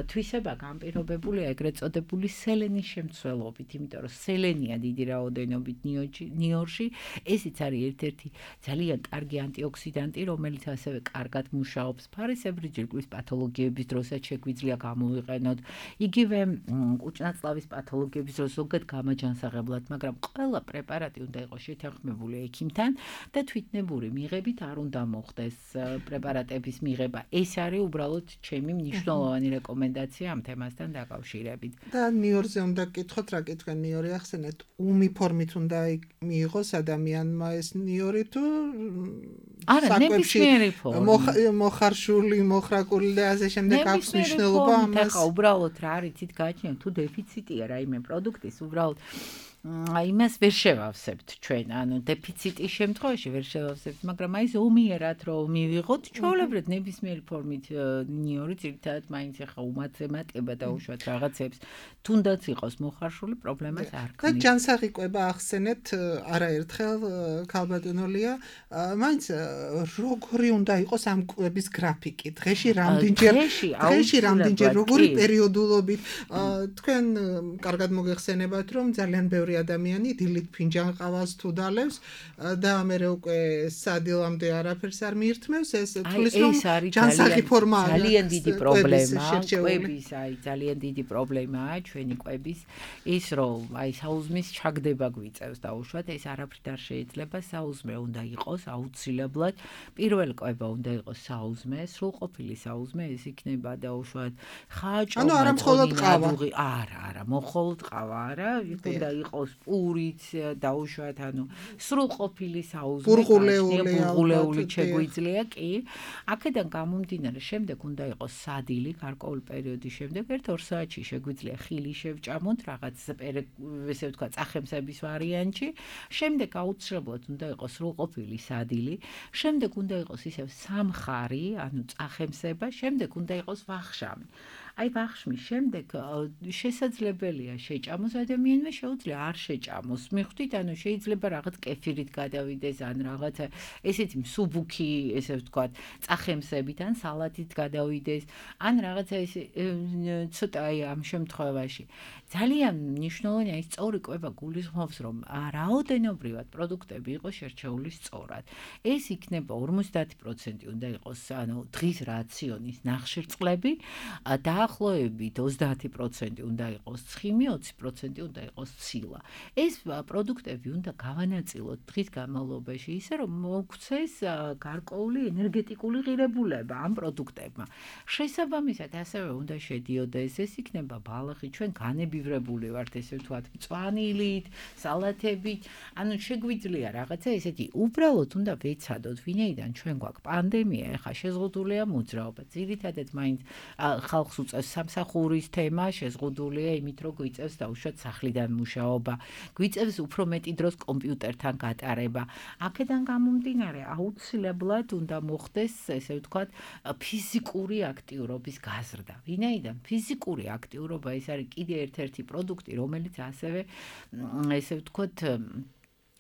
თვისება განპირობებულია ეგრეთ წოდებული სელენის შემცველობით, იმიტომ რომ სელენია დიდი რაოდენობით ნიორში, ესიც არის ერთ-ერთი ძალიან კარგი ანტიოქსიდანტი, რომელიც ასევე კარგად მუშაობს ფარისებრი ჯირკვლის პათოლოგიების დროსაც შეგვიძლია გამოვიყენოთ. იგივე კუჭნაწლავის პათოლოგიების დროს ზოგად გამაჯანსაღებლად, მაგრამ ყველა პრეპარატი უნდა იყოს შეთანხმებული ექიმთან და თვითნებური მიღებით არ უნდა მოხდეს პრეპარატების მიღება. ეს არის უბრალოდ ჩემი მნიშვნელოვანი რეკომენდაცია ამ თემასთან დაკავშირებით. და ნიორზე უნდა გკითხოთ, რა კითხვა ნიორი ახსენეთ, უმი ფორმით უნდა მიიღოს ადამიანმა ეს ნიორი თუ არა, ნებისმიერი ფორმით. მოხარშული, მოხრაკული და ასე შემდეგ აქვს მნიშვნელობა ამას. ახლა უბრალოდ რა არის თვით გააჩნია, თუ დეფიციტია რაიმე პროდუქტის, უბრალოდ იმას ვერ შევავსებთ ჩვენ, ანუ დეფიციტის შემთხვევაში ვერ შევავსებთ, მაგრამ აი ზომიერად რომ მივიღოთ, ჩვეულებრივ ნებისმიერი ფორმით ნიორი ძირითადად მაინც ახლა უმაცემატება და უშუალოდ რაღაცებს თუნდაც იყოს მოხარშული, პრობლემას არ და ქნის. ჯანსაღი კვება ახსენეთ არაერთხელ ქალბატონოლია, მაინც როგორი უნდა იყოს ამ კვების გრაფიკი? დღეში რამდენჯერ დღეში რამდენჯერ როგორი პერიოდულობით თქვენ კარგად მოგეხსენებათ, რომ ძალიან ბევრი ადამიანი დილით ფინჯან ყავას თუ დალევს და ამერე უკვე სადილამდე არაფერს არ მიირთმევს, ეს თulis რომ ჯანსაღი ფორმა არის ძალიან დიდი პრობლემაა კვების, აი ძალიან დიდი პრობლემაა ჩვენი კვების ის რომ აი საუზმის ჩაგდება გვიწევს დაუშვათ, ეს არაფრით არ შეიძლება, საუზმე უნდა იყოს აუცილებლად, პირველ კვება უნდა იყოს საუზმე, სრულყოფილი საუზმე, ეს იქნება დაუშვათ ხაჭო, ანუ არა მხოლოდ ყავა, არა, არა, მხოლოდ ყავა არა, უნდა იყოს პურიც დაუშვათ, ანუ სრულყოფილი საუზმე, ბურღულეული შეგვიძლია, კი. აქედან გამომდინარე, შემდეგ უნდა იყოს სადილი, გარკვეული პერიოდის შემდეგ, ერთ-ორ საათში შეგვიძლია ხილი შევჭამოთ, რაღაც ესე ვთქვათ, წახემსების ვარიანტში. შემდეგ აუცილებლად უნდა იყოს სრულყოფილი სადილი, შემდეგ უნდა იყოს ისევ სამხარი, ანუ წახემსება, შემდეგ უნდა იყოს ვახშამი. აი ვახშმის შემდეგ შესაძლებელია შეჭამოს, ადამიანმა შეუძლია არ შეჭამოს. მიხვდით, ანუ შეიძლება რაღაც კეფირით გადავიდეს, ან რაღაცა ესეთი მსუბუქი, ესე ვთქვათ, წახემსებით, ან სალატით გადავიდეს, ან რაღაცა ესე ცოტა აი ამ შემთხვევაში. ძალიან მნიშვნელოვანია ის სწორი კვება გულისხმობს, რომ რაოდენობრივად პროდუქტები იყოს შერჩეული სწორად. ეს იქნება ორმოცდაათი პროცენტი უნდა იყოს, ანუ დღის რაციონის ნახშირწყლები და ახლოებით ოცდაათი პროცენტი უნდა იყოს ცხიმი, ოცი პროცენტი უნდა იყოს ცილა. ეს პროდუქტები უნდა გავანაწილოთ დღის განმავლობაში ისე, რომ მოგვცეს გარკვეული ენერგეტიკული ღირებულება ამ პროდუქტებმა. შესაბამისად, ასევე უნდა შედიოდეს, ეს იქნება ბალახი, ჩვენ განებივრებული ვართ, ესე ვთქვათ, მწვანილით, სალათებით, ანუ შეგვიძლია რაღაცა ესეთი, უბრალოდ უნდა ვეცადოთ, ვინაიდან ჩვენ გვაქვს პანდემია, ეხლა შეზღუდულია მოძრაობა, ძირითადად მაინც ხალხს უწევს სამსახურის თემა, შეზღუდულია იმით, რომ გვიწევს დაუშვათ სახლიდან მუშაობა, გვიწევს უფრო მეტი დროს კომპიუტერთან გატარება. აქედან გამომდინარე, აუცილებლად უნდა მოხდეს, ესე ვთქვათ, ფიზიკური აქტიურობის გაზრდა. ვინაიდან ფიზიკური აქტიურობა ეს არის კიდე ერთ-ერთი პროდუქტი, რომელიც ასევე ესე ვთქვათ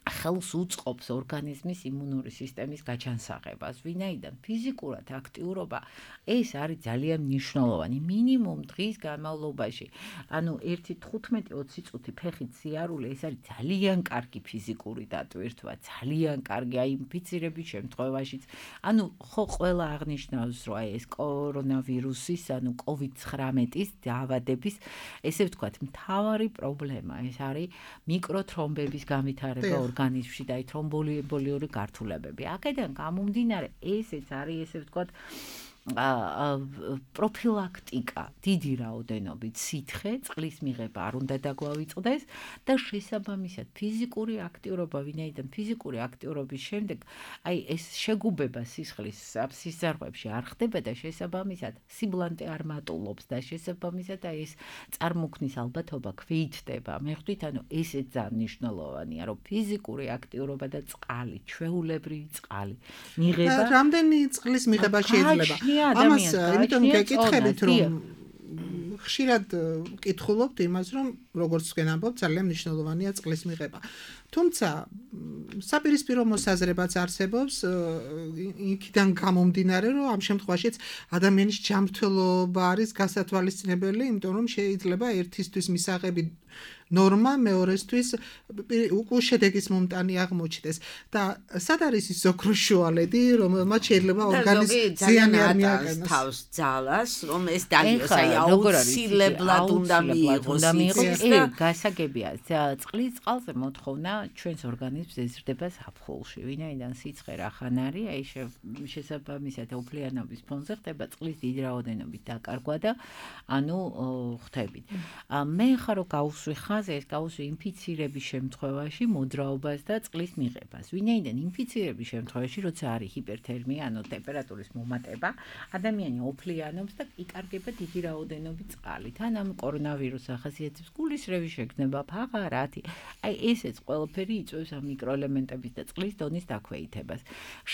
ხელს უწყობს ორგანიზმის იმუნური სისტემის გაჩანსაღებას. ვინაიდან ფიზიკურად აქტიურობა ეს არის ძალიან მნიშვნელოვანი. მინიმუმ დღის განმავლობაში, ანუ ერთი თხუთმეტი ოცი წუთი ფეხით სიარული, ეს არის ძალიან კარგი ფიზიკური დატვირთვა, ძალიან კარგი აი ინფიცირების შემთხვევაშიც. ანუ ხო ყველა აღნიშნავს, რომ აი ეს კორონავირუსის, ანუ კოვიდ ცხრამეტის დაავადების, ესე ვთქვათ, მთავარი პრობლემა ეს არის მიკროთრომბების განვითარება ორგანიზმში და თრომბოლიური გართულებები. აქედან გამომდინარე, ესეც არის, ესე ვთქვათ, პროფილაქტიკა, დიდი რაოდენობით სითხე, წყლის მიღება არ უნდა დაგვავიწყდეს და შესაბამისად ფიზიკური აქტიურობა, ვინაიდან ფიზიკური აქტიურობის შემდეგ აი ეს შეგუბება სისხლის სისხლებში არ ხდება და შესაბამისად სიბლანტე არ მატულობს და შესაბამისად აი ეს წარმოქმნის ალბათობა ქვეითდება. მე ხვდით, ანუ ესეც ძალიან მნიშვნელოვანია, რომ ფიზიკური აქტიურობა და წყალი, ჩვეულებრივი წყალი მიღება. რამდენი წყლის მიღება შეიძლება? ამას იმიტომ გეკითხებით, რომ ხშირად ვკითხულობთ იმას, რომ როგორც თქვენ ამბობთ, ძალიან მნიშვნელოვანია წყლის მიღება. თუმცა საპირისპირო მოსაზრებაც არსებობს იქიდან გამომდინარე, რომ ამ შემთხვევაშიც ადამიანის ჯანმრთელობა არის გასათვალისწინებელი, იმიტომ რომ შეიძლება ერთისთვის მისაღები ნორმა, მეორესთვის უკვე შედეგის მომტანი აღმოჩნდეს და სად არის ის ოქროს შუალედი, რომელმაც შეიძლება ორგანიზმს ზიანი არ მიაყენოს თავს ძალას, რომ ეს დაგიოს, აი აუცილებლად უნდა მიიღოს. გასაგებია, წყლის წყალზე მოთხოვნა ჩვენს ორგანიზმს ეზრდება ზაფხულში, ვინაიდან სიცხე რახან არის, აი შესაბამისად ოფლიანობის ფონზე ხდება წყლის დიდი რაოდენობით დაკარგვა და ანუ ხდებით. მე ხარ რო გავუსვი ხაზი, ეს გავუსვი ინფიცირების შემთხვევაში მოძრაობას და წყლის მიღებას. ვინაიდან ინფიცირების შემთხვევაში, როცა არის ჰიპერთერმია, ანუ ტემპერატურის მომატება, ადამიანი ოფლიანობს და იკარგება დიდი რაოდენობით წყალი. თან ამ კორონავირუს ახასიათებს გულისრევი შეგრძნება, ფაღარათი. აი ესეც ყველაფერი იწვევს ამ მიკროელემენტების და წყლის დონის დაქვეითებას.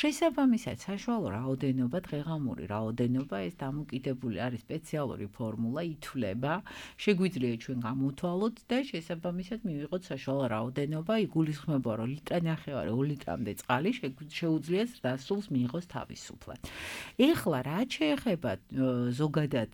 შესაბამისად, საშუალო რაოდენობა, დღეღამური რაოდენობა, ეს დამოკიდებული არის სპეციალური ფორმულა, ითვლება, შეგვიძლია ჩვენ გამოთვალოთ და შესაბამისად მივიღოთ საშუალო რაოდენობა, იგულისხმება, რომ ლიტრა ნახევარი ორ ლიტრამდე წყალი შეუძლია ზრდასრულს მიიღოს თავისუფლად. ეხლა რაც შეეხება ზოგადად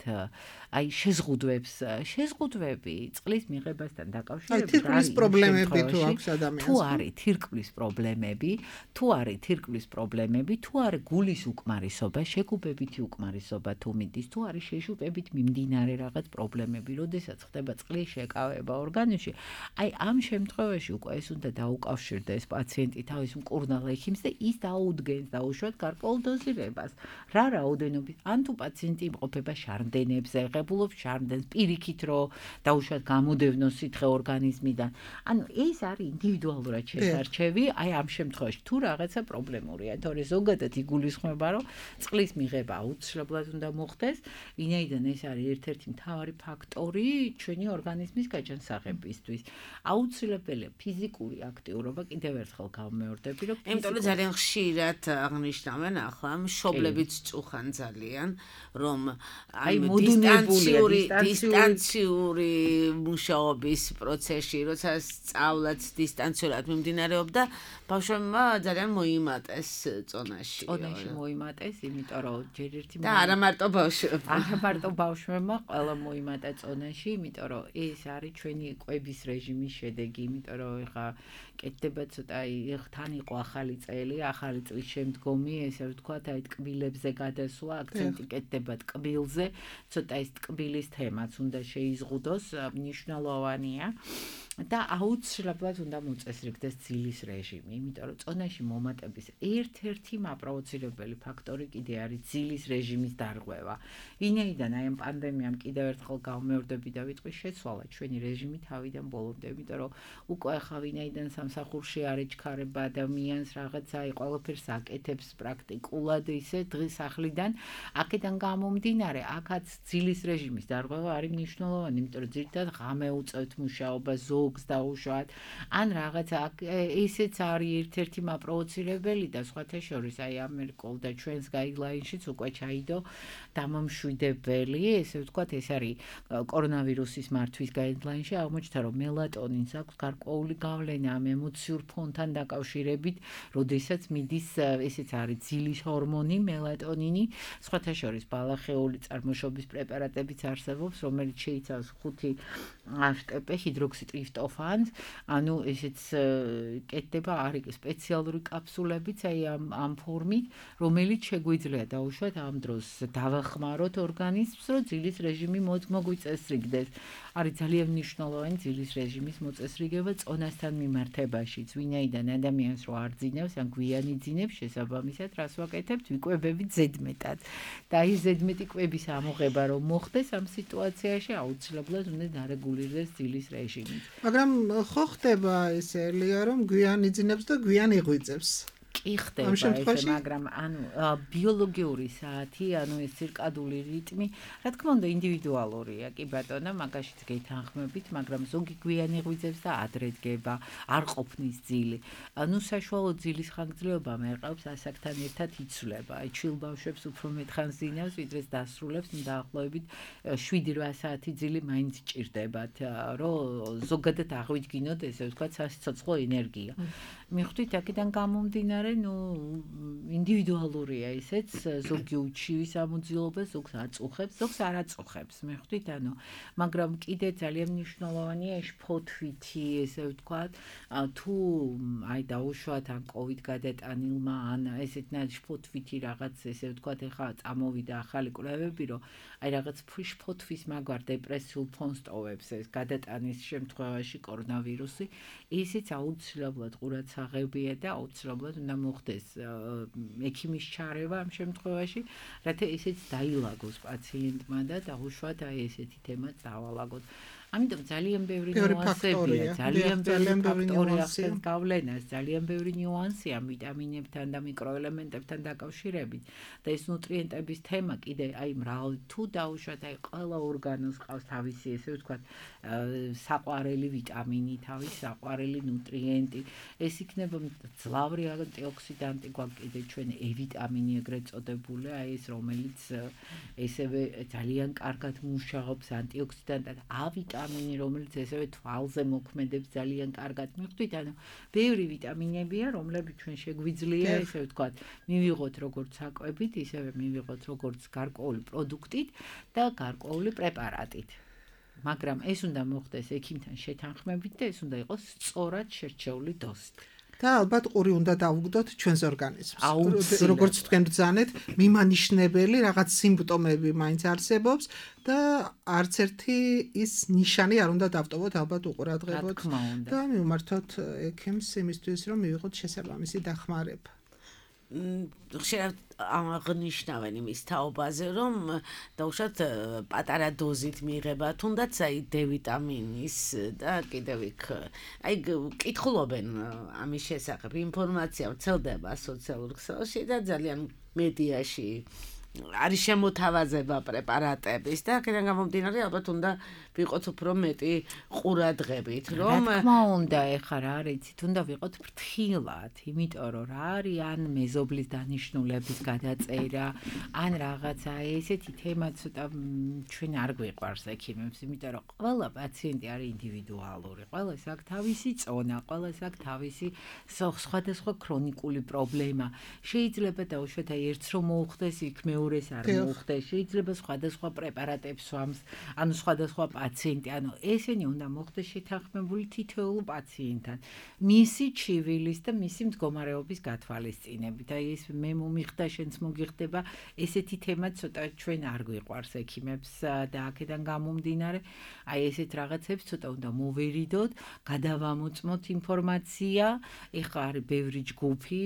აი შეზღუდვებს, შეზღუდვები წყლის მიღებასთან დაკავშირებით თირკმლის პრობლემები თუ აქვს ადამიანს. თუ არის თირკმლის პრობლემები, თუ არის თირკმლის პრობლემები, თუ არის გულის უკმარისობა, შეგუბებითი უკმარისობა თუ მიდის, თუ არის შეშუპებით მიმდინარე რაღაც პრობლემები, როდესაც ხდება წყლის შეკავება ორგანიზმში, აი ამ შემთხვევაში უკვე ეს უნდა დაუკავშირდეს პაციენტი თავის მკურნალ ექიმს და ის დაუდგენს დაუშვათ გარკვეულ დოზირებას. რა რაოდენობით, ან თუ პაციენტი იმყოფება შარდენებზე, ღებულობს შარდენს პირიქით, რომ დაუშვათ გამოდევნოს სითხე ორგანიზმიდან. ანუ ეს არის ინდივიდუალურად შესარჩევი, აი ამ შემთხვევაში თუ რაღაცა პრობლემურია, თორე ზოგადად იგულისხმება, რომ წყლის მიღება აუცილებლად უნდა მოხდეს, ვინაიდან ეს არის ერთ-ერთი მთავარი ფაქტორი ჩვენი ორგანიზმის გაჯანსაღებისთვის. აუცილებელია ფიზიკური აქტიურობა, კიდევ ერთხელ გავმეორდები, რომ იმიტომ რომ ძალიან ხშირად აღნიშნავენ ახლა მშობლებიც წუხან ძალიან, რომ აი დისტანციური დისტანციური მუშაობის პროცესში, როცა სწავლაც დისტანციურად მიმდინარეობდა, ბავშვებმა ძალიან მოიმატეს წონაში. წონაში მოიმატეს, იმიტომ რომ ჯერ ერთი და არა მარტო ბავშვებმა. არა მარტო ბავშვებმა, ყველა მოიმატა წონაში, იმიტომ რომ ეს არის ჩვენი კვების რეჟიმის შედეგი, იმიტომ რომ ეხა კეთდება ცოტა თან იყო ახალი წელი, ახალი წლის შემდგომი, ესე ვთქვათ, აი ტკბილებზე გადასვლა, აქცენტი კეთდება ტკბილზე, ცოტა ეს ტკბილის თემაც უნდა შეიზღუდოს, მნიშვნელოვანია. და აუცილებლად უნდა მოწესრიგდეს ძილის რეჟიმი, იმიტომ რომ წონაში მომატების ერთ-ერთი მაპროვოცირებელი ფაქტორი კიდე არის ძილის რეჟიმის დარღვევა. ვინაიდან აი ამ პანდემიამ კიდევ ერთხელ გავმეორდები და ვიტყვი შეცვალა ჩვენი რეჟიმი თავიდან ბოლომდე, იმიტომ რომ უკვე ახლა ვინაიდან სამსახურში არ ეჩქარება ადამიანს რაღაცა აი ყველაფერს აკეთებს პრაქტიკულად ისე დღის სახლიდან, აქედან გამომდინარე, აქაც ძილის რეჟიმის დარღვევა არის მნიშვნელოვანი, იმიტომ რომ ძირითადად ღამე უწევთ მუშაობა ზოგს დაუშვათ, ან რაღაცა ესეც არის ერთ-ერთი მაპროვოცირებელი და სხვათა შორის აი ამერიკულ და ჩვენს გაიდლაინშიც უკვე ჩაიდო დამამშვიდებელი, ესე ვთქვათ, ეს არის კორონავირუსის მართვის გაიდლაინში აღმოჩნდა, რომ მელატონინს აქვს გარკვეული გავლენა ამ ემოციურ ფონთან დაკავშირებით, როდესაც მიდის ესეც არის ძილის ჰორმონი, მელატონინი, სხვათა შორის ბალახეული წარმოშობის პრეპარატებიც არსებობს, რომელიც შეიცავს ხუთი აშტპ ჰიდროქსიტრიფტოფანს, ანუ ესეც კეთდება, არის სპეციალური კაფსულებიც აი ამ ამ ფორმით, რომელიც შეგვიძლია დაუშვათ ამ დროს დავახმაროთ ორგანიზმს, რომ ძილის რეჟიმი მოგვიწესრიგდეს. არის ძალიან მნიშვნელოვანი ძილის რეჟიმის მოწესრიგება წონასთან მიმართებაშიც, ვინაიდან ადამიანს რო არ ძინავს, ან გვიანი ძინებს, შესაბამისად, რას ვაკეთებთ, ვიკვებებით ზედმეტად. და აი ზედმეტი კვების ამოღება რომ მოხდეს ამ სიტუაციაში, აუცილებლად უნდა დარეგულირდეს ძილის რეჟიმი. მაგრამ ხო ხდება ესე ელია რომ გვიანი ძინებს და გვიანი ღვიძებს. კი ხდება ეს, მაგრამ ანუ ბიოლოგიური საათი, ანუ ეს ცირკადული რიტმი, რა თქმა უნდა ინდივიდუალურია, კი ბატონო, მაგაშიც გეთანხმებით, მაგრამ ზოგი გვიანი ღვიძებს და ადრე დგება, არ ყოფნის ძილი. ანუ საშუალო ძილის ხანგრძლივობა მერყევს ასაკთან ერთად იცვლება. აი ჩვილ ბავშვებს უფრო მეტხანს ძინავს, ვიდრე დასრულებს, დაახლოებით შვიდი რვა საათი ძილი მაინც ჭირდებათ, რომ ზოგადად აღვიდგინოთ, ესე ვთქვათ, სასიცოცხლო ენერგია. მიხვდით აქედან გამომდინარე ნუ ინდივიდუალურია ისეც, ზოგი უჩივის ამოძილობა, ზოგს აწუხებს, ზოგს არ აწუხებს, მიხვდით, ანუ, მაგრამ კიდე ძალიან მნიშვნელოვანია ეს ფოთვითი, ესე ვთქვათ, თუ აი დაუშვათ ან კოვიდ გადატანილმა, ან ესეთნაირ ფოთვითი რაღაც, ესე ვთქვათ, ეხლა წამოვიდა ახალი კვლევები, რომ აი რაღაც ფოთვის მაგვარ დეპრესიულ ფონს ტოვებს ეს გადატანის შემთხვევაში კორონავირუსი, ისიც აუცილებლად ყურადსაღებია და აუცილებლად უნდა მოხდეს ექიმის ჩარევა ამ შემთხვევაში, რათა ისიც დაილაგოს პაციენტმა და დაუშვათ აი ესეთი თემაც დავალაგოთ. ამიტომ ძალიან ბევრი ნიუანსებია, ძალიან ბევრი ფაქტორია ახსენს გავლენას, ძალიან ბევრი ნიუანსია ვიტამინებთან და მიკროელემენტებთან დაკავშირებით და ეს ნუტრიენტების თემა კიდე აი მრავალი თუ დაუშვათ აი ყველა ორგანოს ყავს თავისი ესე ვთქვათ საყვარელი ვიტამინი, თავისი საყვარელი ნუტრიენტი. ეს იქნება ძლავრი ანტიოქსიდანტი გვაქვს კიდე ჩვენ E ვიტამინი ეგრეთ წოდებული, აი ეს რომელიც ესევე ძალიან კარგად მუშაობს ანტიოქსიდანტად, A ვიტამინი რომელიც ესევე თვალზე მოქმედებს ძალიან კარგად. მიხვდით, ანუ ბევრი ვიტამინებია, რომლებიც ჩვენ შეგვიძლია ესე ვთქვათ, მივიღოთ როგორც საკვებით, ისევე მივიღოთ როგორც გარკვეული პროდუქტით და გარკვეული პრეპარატით. მაგრამ ეს უნდა მოხდეს ექიმთან შეთანხმებით და ეს უნდა იყოს სწორად შერჩეული დოზით. და ალბათ ყური უნდა დავუგდოთ ჩვენს ორგანიზმს. როგორც თქვენ ბრძანეთ, მიმანიშნებელი რაღაც სიმპტომები მაინც არსებობს და არც ერთი ის ნიშანი არ უნდა დავტოვოთ, ალბათ უყურადღებოთ და მივმართოთ ექიმს იმისთვის, რომ მივიღოთ შესაბამისი დახმარება. ხშირად აღნიშნავენ იმის თაობაზე, რომ დაუშვათ პატარა დოზით მიიღება, თუნდაც აი D ვიტამინის და კიდევ იქ აი კითხულობენ ამის შესახებ, ინფორმაცია ვრცელდება სოციალურ ქსელში და ძალიან მედიაში არის შემოთავაზება პრეპარატების და აქედან გამომდინარე ალბათ უნდა ვიყოთ უფრო მეტი ყურადღებით, რომ რა თქმა უნდა, ეხლა რა არიცით, უნდა ვიყოთ ფრთხილად, იმიტომ რომ რა არის ან მეზობლის დანიშნულების გადაწერა, ან რაღაცა ესეთი თემა ცოტა ჩვენ არ გვიყვარს ექიმებს, იმიტომ რომ ყველა პაციენტი არის ინდივიდუალური, ყველას აქვს თავისი წონა, ყველას აქვს თავისი სხვადასხვა ქრონიკული პრობლემა. შეიძლება დაუშვათ აი ერთს რომ მოუხდეს, იქ მეორეს არ მოუხდეს, შეიძლება სხვადასხვა პრეპარატებს ვამს, ანუ სხვადასხვა პაციენტი, ანუ ესენი უნდა მოხდეს შეთანხმებული თითოეულ პაციენტთან, მისი ჩივილის და მისი მდგომარეობის გათვალისწინებით. აი ეს მე მომიხდა, შენც მოგიხდება, ესეთი თემა ცოტა ჩვენ არ გვიყვარს ექიმებს და აქედან გამომდინარე, აი ესეთ რაღაცებს ცოტა უნდა მოვერიდოთ, გადავამოწმოთ ინფორმაცია. ეხლა არის ბევრი ჯგუფი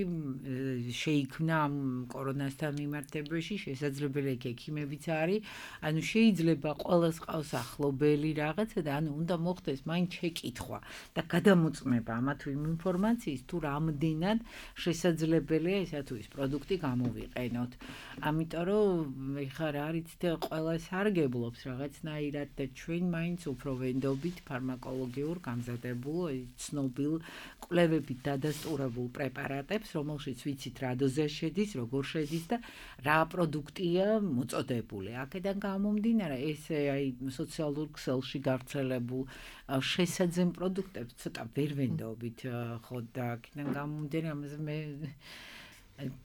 შეიქმნა ამ კორონასთან მიმართებაში, შესაძლებელი ექიმებიც არის, ანუ შეიძლება ყველას ყავს ახლობელი რაღაცა და ანუ უნდა მოხდეს მაინც შეკითხვა და გადამოწმება ამა თუ იმ ინფორმაციის, თუ რამდენად შესაძლებელია ესა თუ ის პროდუქტი გამოვიყენოთ. ამიტომ რომ ეხლა რა არის და ყველა სარგებლობს რაღაცნაირად და ჩვენ მაინც უფრო ვენდობით ფარმაკოლოგიურ გამზადებულ, ცნობილ კვლევებით დადასტურებულ პრეპარატებს, რომელშიც ვიცით რა დოზა შედის, როგორ შედის და რა პროდუქტია მოწოდებული. აქედან გამომდინარე, ესე აი სოციალურ ქსელში გავრცელებულ შესაძენ პროდუქტებს ცოტა ვერ ვენდობით, ხო და აქედან გამომდინარე, ამაზე მე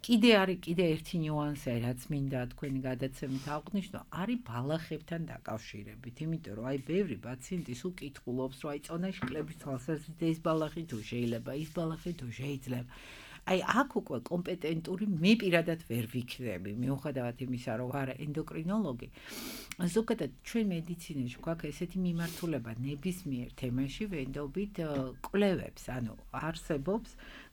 კიდე არის კიდე ერთი ნიუანსი, რაც მინდა თქვენი გადაცემით აღვნიშნო, არის ბალახებთან დაკავშირებით, იმიტომ რომ აი ბევრი პაციენტი სულ კითხულობს, რომ აი წონაში კლების თვალსაზრისით ეს ბალახი თუ შეიძლება, ის ბალახი თუ შეიძლება. აი აქ უკვე კომპეტენტური მე პირადად ვერ ვიქნები, მიუხედავად იმისა, რომ ვარ ენდოკრინოლოგი. ზოგადად ჩვენ მედიცინაში გვაქვს ესეთი მიმართულება ნებისმიერ თემაში ვენდობით კვლევებს, ანუ არსებობს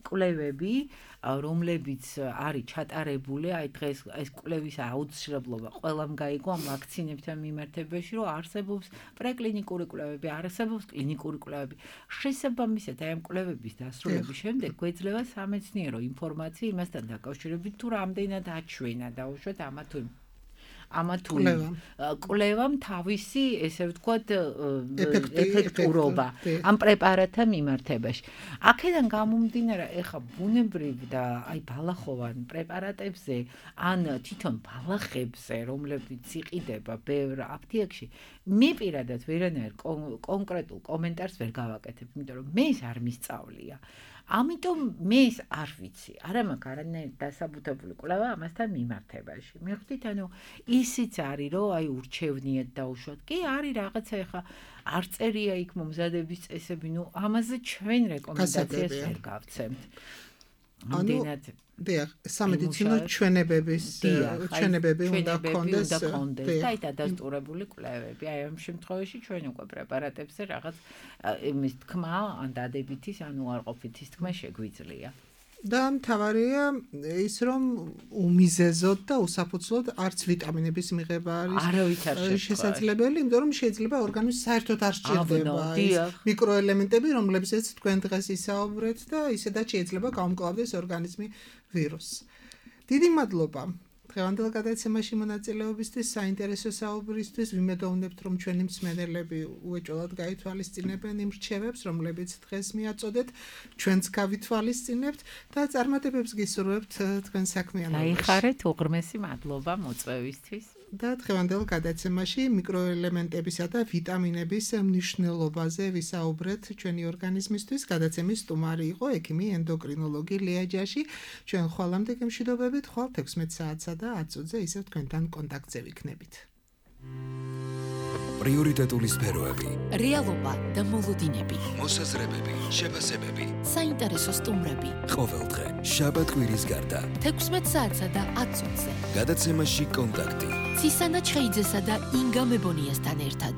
კვლევები, რომლებიც არის ჩატარებული, აი დღეს ეს კვლევის აუცილებლობა ყველამ გაიგო ამ ვაქცინებთან მიმართებაში, რომ არსებობს პრეკლინიკური კვლევები, არსებობს კლინიკური კვლევები. შესაბამისად, აი ამ კვლევების დასრულების შემდეგ გვეძლევა სამეცნიერო ინფორმაცია იმასთან დაკავშირებით, თუ რამდენად აჩვენა დაუშვათ ამა თუ ამა თუ კვლევამ თავისი, ესე ვთქვათ, ეფექტურობა ამ პრეპარატთან მიმართებაში. აქედან გამომდინარე, ეხა ბუნებრივ და აი ბალახოვან პრეპარატებზე, ან თვითონ ბალახებზე, რომლებიც იყიდება ბევრ აფთიაქში, მე პირადად ვერანაირ კონკრეტულ კომენტარს ვერ გავაკეთებ, იმიტომ რომ მე ეს არ მისწავლია. ამიტომ მე ეს არ ვიცი, არ მაქვს არანაირი დასაბუთებული კვლევა ამასთან მიმართებაში. მიხვდით, ანუ ისიც არის, რომ აი ურჩევნიათ დაუშვათ. კი არის რაღაცა ეხა არ წერია იქ მომზადების წესები, ნუ ამაზე ჩვენ რეკომენდაციას ვერ გავცემთ. ამდენად დიახ, სამედიცინო ჩვენებების ჩვენებები უნდა გქონდეს და აი დადასტურებული კვლევები. აი ამ შემთხვევაში ჩვენ უკვე პრეპარატებზე რაღაც იმის თქმა, ან დადებითის, ან უარყოფითის თქმა შეგვიძლია. და მთავარია ის, რომ უმიზეზოდ და უსაფუძვლოდ არც ვიტამინების მიღება არის შესაძლებელი, იმიტომ რომ შეიძლება ორგანიზმს საერთოდ არ სჭირდება მიკროელემენტები, რომლებზეც თქვენ დღეს ისაუბრეთ და ისედაც შეიძლება გაუმკლავდეს ორგანიზმი ვირუსს. დიდი მადლობა დღევანდელ გადაცემაში მონაწილეობისთვის, საინტერესო საუბრისთვის. ვიმედოვნებთ, რომ ჩვენი მსმენელები უეჭველად გაითვალისწინებენ იმ რჩევებს, რომლებიც დღეს მიაწოდეთ, ჩვენც გავითვალისწინებთ და წარმატებებს გისურვებთ თქვენ საქმიანობაში. დაიხარეთ, უღრმესი მადლობა მოწვევისთვის. და დღევანდელ გადაცემაში მიკროელემენტებისა და ვიტამინების მნიშვნელობაზე ვისაუბრეთ ჩვენი ორგანიზმისთვის. გადაცემის სტუმარი იყო ექიმი ენდოკრინოლოგი ლია ჯაში. ჩვენ ხვალამდე გემშვიდობებით, ხვალ თექვსმეტ საათსა და ათ წუთზე ისევ თქვენთან კონტაქტზე ვიქნებით. პრიორიტეტული სფეროები, რეალობა და მოლოდინები, მოსაზრებები, შეფასებები, საინტერესო სტუმრები. ყოველდღე, შაბათ-კვირის გარდა, თექვსმეტ საათსა და ათ წუთზე. გადაცემაში კონტაქტი. ცისანა ჩხეიძესა და ინგა მებონიასთან ერთად.